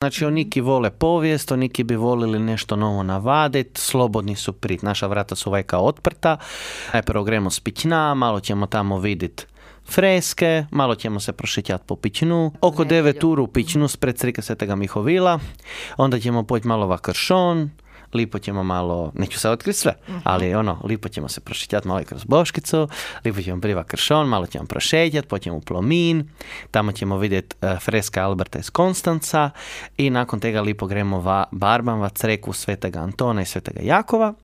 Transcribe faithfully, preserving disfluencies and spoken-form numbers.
Znači, oniki vole povijest, oniki bi volili nešto novo navaditi, slobodni su prit. Naša vrata su vajka otprta. Najprvo gremo s pićna, malo ćemo tamo vidjeti freske, malo ćemo se prošetjati po pićnu. Oko devet uru u pićnu spred crika Svetega Mihovila. Onda ćemo poći malo va Kršon. Lipo ćemo malo, neću sad otkriti sve, uh-huh. ali ono, lipo ćemo se prošetjati malo i kroz Boškicu, lipo ćemo priva Kršon, malo ćemo prošetjati, poćemo u Plomin, tamo ćemo vidjeti uh, freska Alberta iz Konstanca i nakon tega lipo gremo va Barban, va creku Svetega Antona i Svetega Jakova.